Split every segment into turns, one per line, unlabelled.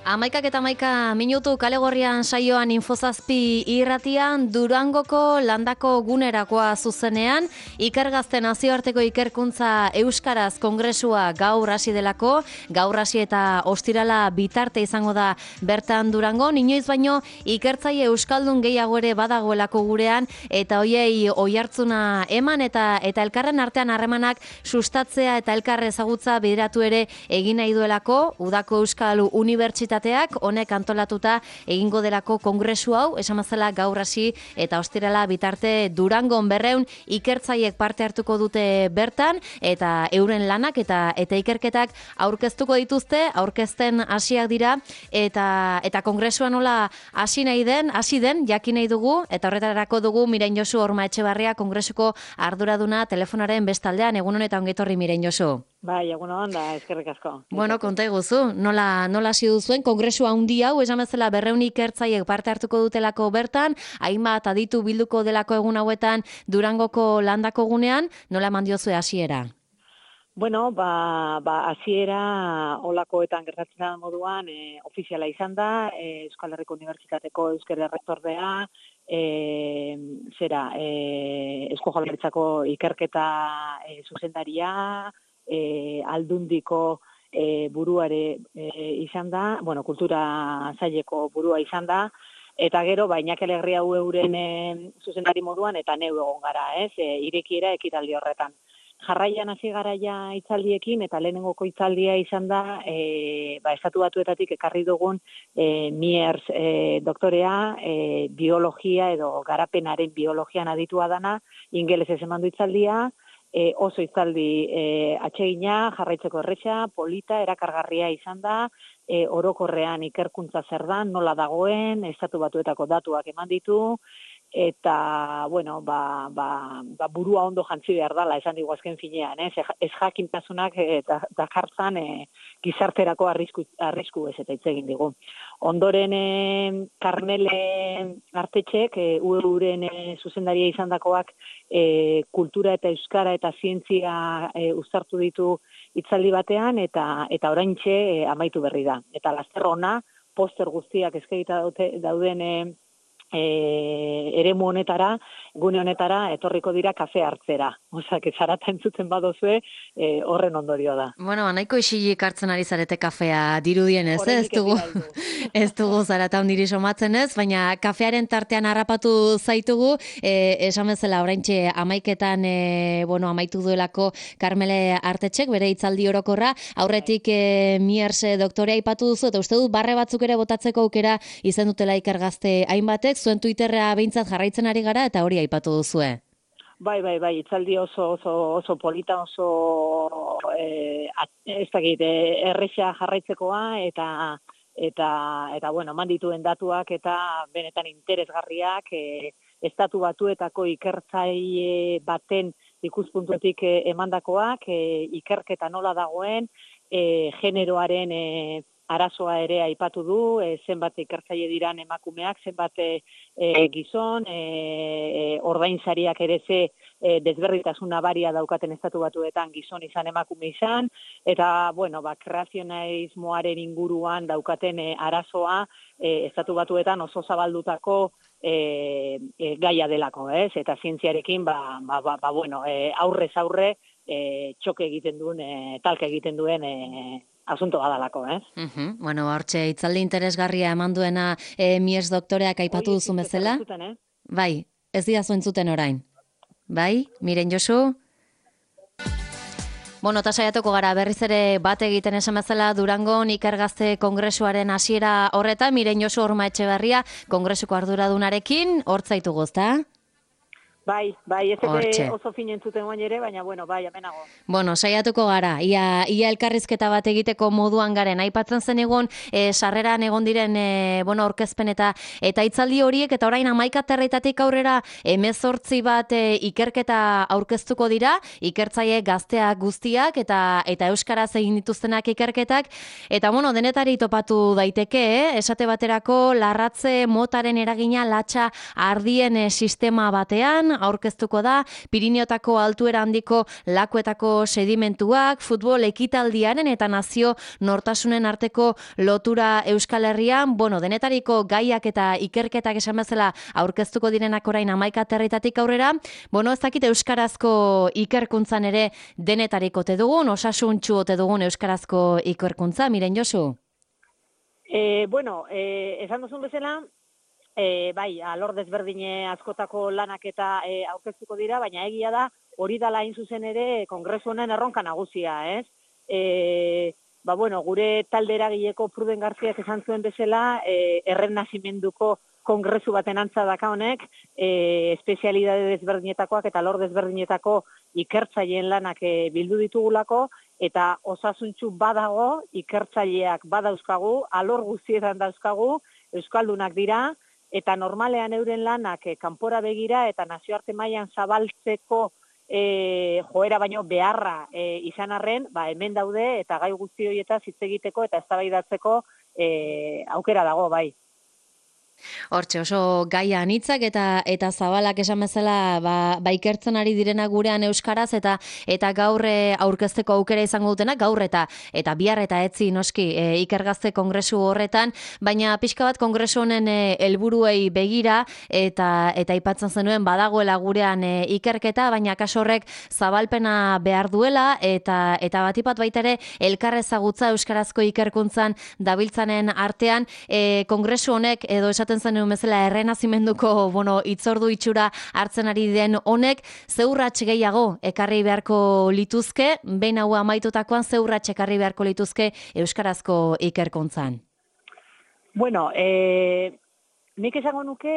Amaikak eta amaika minutu kalegorrian saioan Infozazpi irratian Durangoko landako gunerakoa zuzenean Ikergazte nazioarteko ikerkuntza Euskaraz kongresua gaur hasi delako, gaur hasi eta ostirala bitarte izango da bertan Durango, inoiz baino ikertzaile euskaldun gehiago ere badagoelako gurean eta hoiei oihartzuna eman eta elkarren artean harremanak sustatzea eta elkar ezagutza bideratu ere egin nahi duelako Udako Euskal Unibertsitateak honek antolatuta egingo delako kongresu hau, esan bezala gaur hasi eta ostirala bitarte Durangon 200 ikertzaileek parte hartuko dute bertan eta euren lanak eta ikerketak aurkeztuko dituzte, aurkezten hasiak dira eta kongresua nola hasi den jakin nahi dugu eta horretarako dugu Miren Josu Horma Etxebarria kongresuko arduraduna telefonaren bestaldean. Egun honetan ongi etorri Miren Josu.
Bai, egun da, eskerrik asko.
Bueno, konta iguzu, nola hasi duzuen kongresu handi hau, esan bezala 200 ikertzaileek parte hartuko dutelako bertan, hainbat aditu bilduko delako egun hauetan Durangoko landako gunean, nola eman diozue hasiera?
Bueno, hasiera olakoetan gertatzen da moduan, ofiziala izan da, Euskal Herriko Unibertsitateko euskara errektordea, Eusko Jaurlaritzako ikerketa zuzendaria, Aldundiko buruare izan da, kultura saileko burua izan da, eta gero, Iñaki Alegria euren zuzendari moduan, eta neu egon gara, irekiera ekitaldi horretan. Jarraian hasi garaia hitzaldiekin, eta lehenengoko hitzaldia izan da, Estatu Batuetatik ekarri dugun Miers doktorea, biologia edo garapenaren biologian aditua dana, ingelesez eman du hitzaldia, oso hitzaldi atsegina, jarraitzeko erresa, polita, erakargarria izan da, orokorrean ikerkuntza zer da, nola dagoen, Estatu Batuetako datuak eman ditu, eta, burua ondo jantzi behar dela, esan digu azken finean, ez jakintasunak dakartzan gizarterako arrisku ez eta hitz egin digu. Ondoren Karmele Artetxek, uren zuzendaria izandakoak kultura eta euskara eta zientzia uztartu ditu hitzaldi batean eta oraintxe amaitu berri da. Eta laster ona, poster guztiak eskainita dauden eremu honetara, gune honetara, etorriko dira kafe hartzera. Osak, zarata entzuten badozue, horren ondorio da.
Bueno, nahiko isilik hartzen ari zarete kafea dirudien ez dugu zarata ondiri somatzen ez, baina kafearen tartean harrapatu zaitugu, esan bezala oraintxe amaiketan amaitu duelako Karmele Artetxek, bere hitzaldi orokorra, aurretik Miers doktorea aipatu duzu, eta uste dut barre batzuk ere botatzeko aukera izan dutela Ikergazte hainbatek, zuen Twitterra behintzat jarraitzen ari gara eta hori aipatu duzue.
Bai, hitzaldi oso polita, oso erresa jarraitzekoa eta eman dituen datuak eta benetan interesgarriak, Estatu Batuetako ikertzaile baten ikuspuntutik emandakoak, ikerketa nola dagoen, generoaren arazoa ere aipatu du, zenbat ikertzaile diran emakumeak, zenbat gizon, ordainsariak ere ze desberdintasun nabaria daukaten Estatu Batuetan gizon izan emakume izan, eta, kreazionalismoaren inguruan daukaten arazoa Estatu Batuetan oso zabaldutako gaia delako, eta zientziarekin, aurrez aurre, txoke egiten duen, talka egiten duen asunto badalako,
hortxe, hitzaldi interesgarria eman duena Miers doktoreak aipatu duzu bezala? Bai, ez dira entzuten orain. Bai, Miren Josu? Eta saiatuko gara berriz ere bat egiten esan bezala Durangon Ikergazte kongresuaren hasiera horretan, Miren Josu Horma Etxebarria kongresuko arduradunarekin, hortzaitugu, ezta?
Bai, ez oso fin entzuten guain ere, baina, amenago.
Saiatuko gara, ia elkarrizketa bat egiteko moduan garen, aipatzen zen egon, sarreran egon diren, aurkezpen eta hitzaldi horiek, eta orain 11 aterretatik aurrera 18 bat ikerketa aurkeztuko dira, ikertzaile gazteak guztiak, eta euskaraz egin dituztenak ikerketak, eta denetari topatu daiteke, esate baterako larratze motaren eragina latxa ardien sistema batean, aurkeztuko da, Pirineotako altuera handiko lakuetako sedimentuak, futbol ekitaldiaren eta nazio nortasunen arteko lotura Euskal Herrian, denetariko gaiak eta ikerketak esan bezala aurkeztuko direnak orain 11 aterritatik aurrera, ez dakit euskarazko ikerkuntzan ere denetariko ote dugun, osasuntsu ote dugun euskarazko ikerkuntza, Miren Josu?
Esan duzun bezala, bai, alor desberdine askotako lanak eta aurkeztuko dira, baina egia da, hori dala hain zuzen ere kongresu honen erronka nagusia, ez? Gure talde eragileko Pruden Garziak esan zuen bezala, errenazimenduko kongresu baten antza daka honek, espezialidade desberdinetakoak eta alor desberdinetako ikertzaileen lanak bildu ditugulako, eta osasuntsu badago, ikertzaileak badauzkagu, alor guztietan dauzkagu, euskaldunak dira, eta normalean euren lanak kanpora begira eta nazioarte mailan zabaltzeko joera baino beharra izan arren, hemen daude eta gai guzti horietaz hitz egiteko eta eztabaidatzeko aukera dago, bai.
Hortxe, oso gaia anitzak eta zabalak esan bezala ikertzen ari direna gurean euskaraz eta gaur aurkezteko aukera izango dutenak, gaur eta bihar eta etzi noski ikergazte kongresu horretan, baina pixka bat kongresu honen helburuei begira eta aipatzen zenuen badagoela gurean ikerketa, baina kaso horrek zabalpena behar duela eta batipat baita ere elkarrezagutza euskarazko ikerkuntzan dabiltzanen artean kongresu honek edo esaten zenuen bezala errenazimenduko itzordu itxura hartzen ari den honek zeurratx gehiago ekarri beharko lituzke, behin hau amaitutakoan zeurratx ekarri beharko lituzke euskarazko ikerkuntzan.
Nik esango nuke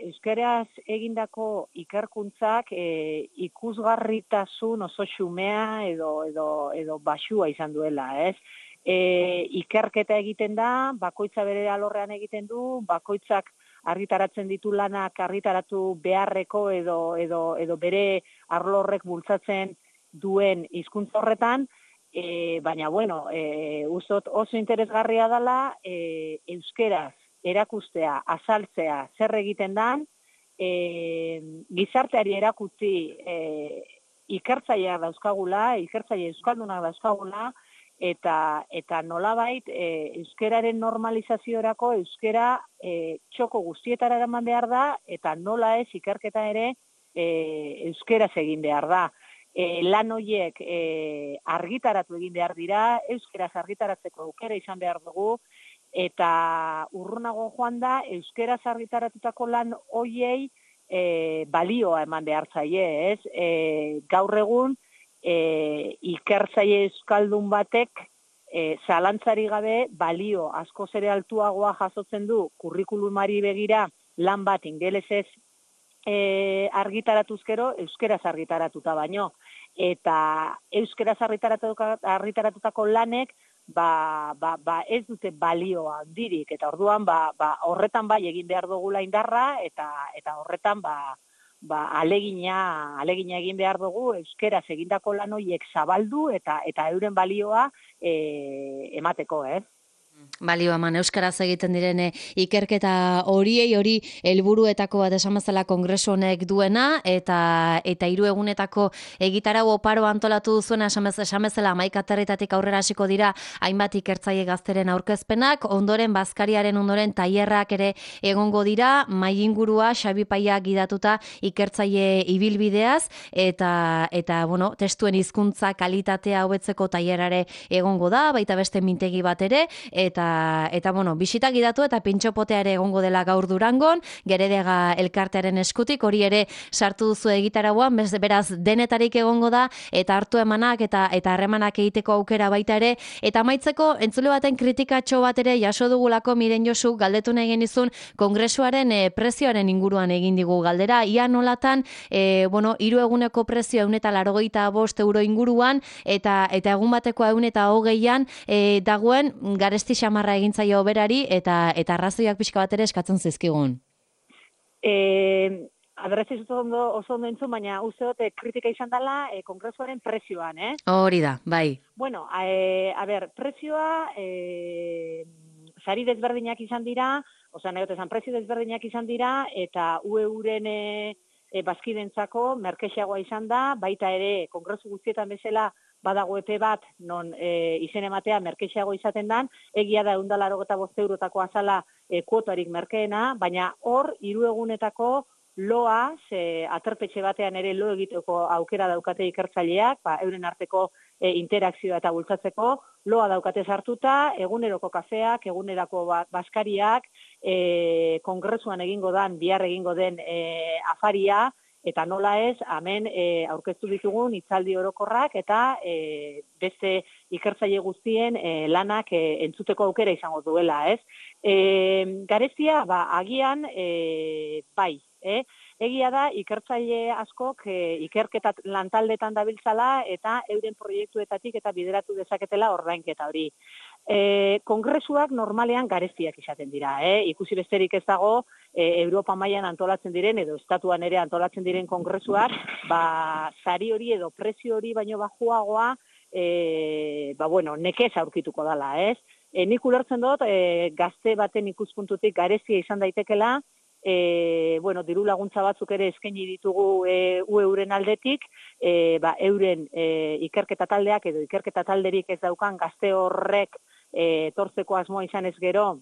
euskaraz egindako ikerkuntzak ikusgarritasun oso xumea edo baxua izan duela, ez? Ikerketa egiten da, bakoitza bere alorrean egiten du, bakoitzak argitaratzen ditu lanak argitaratu beharreko edo bere arlo horrek bultzatzen duen hizkuntza horretan, baina uzot oso interesgarria dela euskeraz erakustea, azaltzea, zer egiten dan, gizarteari erakutsi ikertzaileak dauzkagula, ikertzaile euskaldunak dauzkagula, eta nolabait euskeraren normalizaziorako euskera txoko guztietara eraman behar da, eta nola ez ikerketa ere euskeraz egin behar da. Lan horiek argitaratu egin behar dira, euskeraz argitaratzeko aukera izan behar dugu, eta urrunago joan da euskeraz argitaratutako lan horiei balioa eman behar zaie, ez? Gaur egun, ikertzaile euskaldun batek zalantzari gabe balio askoz ere altuagoa jasotzen du kurrikulumari begira lan bat ingelesez argitaratuzkero euskeraz argitaratuta baino. Eta euskeraz argitaratutako lanek ez dute balioa handirik, eta orduan horretan bai egin behar dugula indarra eta horretan alegina egin behar dugu euskeraz egindako lan horiek zabaldu eta euren balioa emateko, ez?
Balioa eman euskaraz egiten diren ikerketa hori helburuetako bat esan bezala kongresu honek duena eta 3 egunetako egitarau oparo antolatu duzuena esan bezala 11 aterritatik aurrera hasiko dira hainbat ikertzaile gazteren aurkezpenak, ondoren bazkariaren ondoren tailerrak ere egongo dira, mahai ingurua Xabi Paia gidatuta ikertzaile ibilbideaz eta testuen hizkuntza kalitatea hobetzeko tailerare egongo da, baita beste mintegi bat ere eta bisita gidatu eta pintxopotea ere egongo dela gaur Durangon, Geredega elkartearen eskutik, hori ere sartu duzu egitarauan, beraz denetarik egongo da, eta hartu emanak eta harremanak egiteko aukera baita ere, eta amaitzeko entzule baten kritikatxo bat ere jaso dugulako Miren Josu galdetu nahi genizun kongresuaren prezioaren inguruan egin digu galdera, ia nolatan 3 eguneko prezioa 185 euro inguruan, eta egun bateko 120an dagoen garesti xamarra egintzaio berari eta arrazoiak pixka bat ere eskatzen zizkigun.
Aberrez oso ondo entzun, baina uste dut kritika izan dela kongresuaren prezioan, eh?
Hori da, bai.
Bueno, prezioa sari desberdinak izan dira, prezio desberdinak izan dira, eta UEUren bazkidentzako merkexeagoa izan da, baita ere kongresu guztietan bezala badago epe bat non izen ematea merkexeago izaten dan, egia da 185 eurotako azala kuotarik merkeena, baina hor 3 egunetako loa, aterpetxe batean ere lo egiteko aukera daukate ikertzaileak, euren arteko interakzioa eta bultzatzeko, loa daukate sartuta, eguneroko kafeak, egunerako baskariak, kongresuan egingo den, bihar egingo den afaria, eta nola ez, hemen aurkeztu ditugun hitzaldi orokorrak eta beste ikertzaile guztien lanak entzuteko aukera izango duela, ez? Garezia, agian, bai, egia da, ikertzaile askok ikerketa lantaldetan dabiltzala eta euren proiektuetatik eta bideratu dezaketela ordainketa hori. Kongresuak normalean gareziak izaten dira, ikusi besterik ez dago, Europa mailan antolatzen diren edo estatuan ere antolatzen diren kongresuak, sari hori edo prezio hori baino bajuagoa, nekez aurkituko dala, ez? Nik ulertzen dut, gazte baten ikuspuntutik garezia izan daitekela, diru laguntza batzuk ere eskaini ditugu euren aldetik, euren ikerketa taldeak edo ikerketa talderik ez daukan gazte horrek tortzeko asmoa izan ez gero,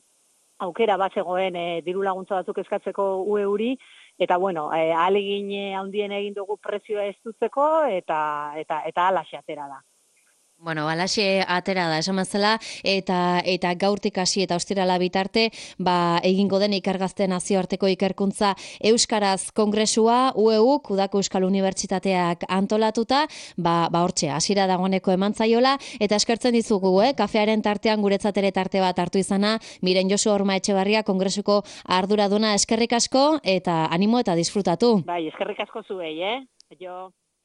aukera bat zegoen diru laguntza batzuk eskatzeko euri, eta ahalegin handien egin dugu prezioa ez dutzeko, eta halaxe atera da.
Bueno, alaxe atera da, esan mazela, eta gaurtik hasi eta ostirala bitarte, egingo den ikergazte nazioarteko ikerkuntza Euskaraz Kongresua, UEUk, Udako Euskal Unibertsitateak antolatuta, hortxe, hasiera dagoeneko emantzaiola, eta eskertzen dizugu, kafearen tartean guretzat ere tarte bat hartu izana, Miren Josu Horma Etxebarria Kongresuko arduraduna eskerrik asko, eta animo eta disfrutatu.
Bai, eskerrik asko zuei, Jo.